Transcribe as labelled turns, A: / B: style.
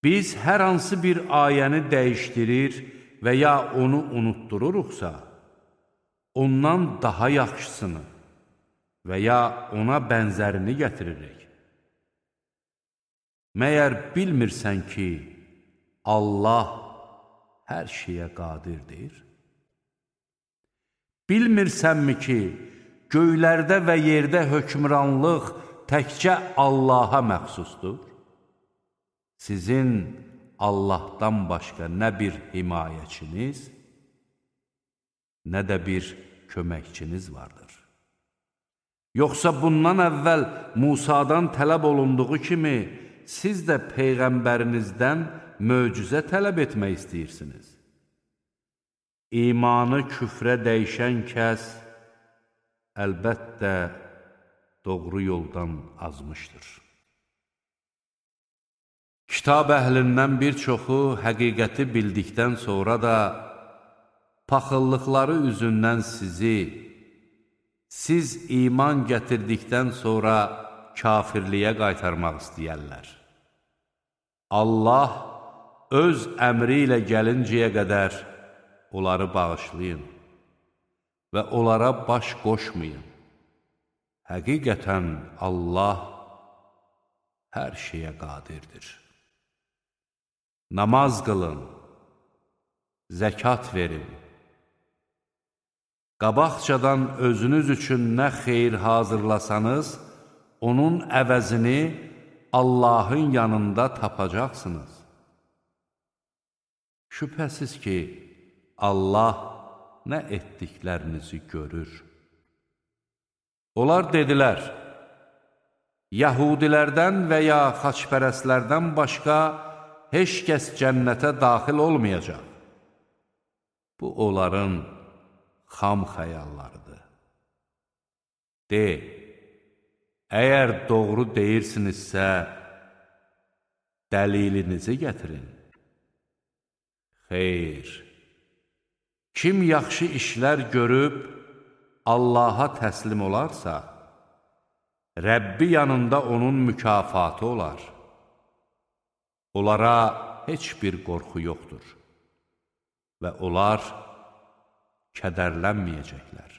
A: Biz hər hansı bir ayəni dəyişdirir və ya onu unutdururuqsa, ondan daha yaxşısını və ya ona bənzərini gətiririk. Məyər bilmirsən ki, Allah hər şeyə qadirdir? Bilmirsənmi ki, göylərdə və yerdə hökmranlıq təkcə Allaha məxsusdur? Sizin Allahdan başqa nə bir himayəçiniz, nə də bir köməkçiniz vardır. Yoxsa bundan əvvəl Musadan tələb olunduğu kimi, siz də Peyğəmbərinizdən möcüzə tələb etmək istəyirsiniz. İmanı küfrə dəyişən kəs, əlbəttə, doğru yoldan azmışdır. Kitab əhlindən bir çoxu həqiqəti bildikdən sonra da paxıllıqları üzündən siz iman gətirdikdən sonra kafirliyə qaytarmaq istəyərlər. Allah öz əmri ilə gəlincəyə qədər onları bağışlayın və onlara baş qoşmayın. Həqiqətən Allah hər şeyə qadirdir. Namaz qılın, zəkat verin. Qabaqcadan özünüz üçün nə xeyir hazırlasanız, onun əvəzini Allahın yanında tapacaqsınız. Şübhəsiz ki, Allah nə etdiklərinizi görür. Onlar dedilər, Yahudilərdən və ya xaçpərəstlərdən başqa heç kəs cənnətə daxil olmayacaq. Bu, onların xam xəyallarıdır. De, əgər doğru deyirsinizsə, dəlilinizi gətirin. Xeyr, kim yaxşı işlər görüb, Allaha təslim olarsa, Rəbbi yanında onun mükafatı olar. Onlara heç bir qorxu yoxdur və onlar kədərlənməyəcəklər.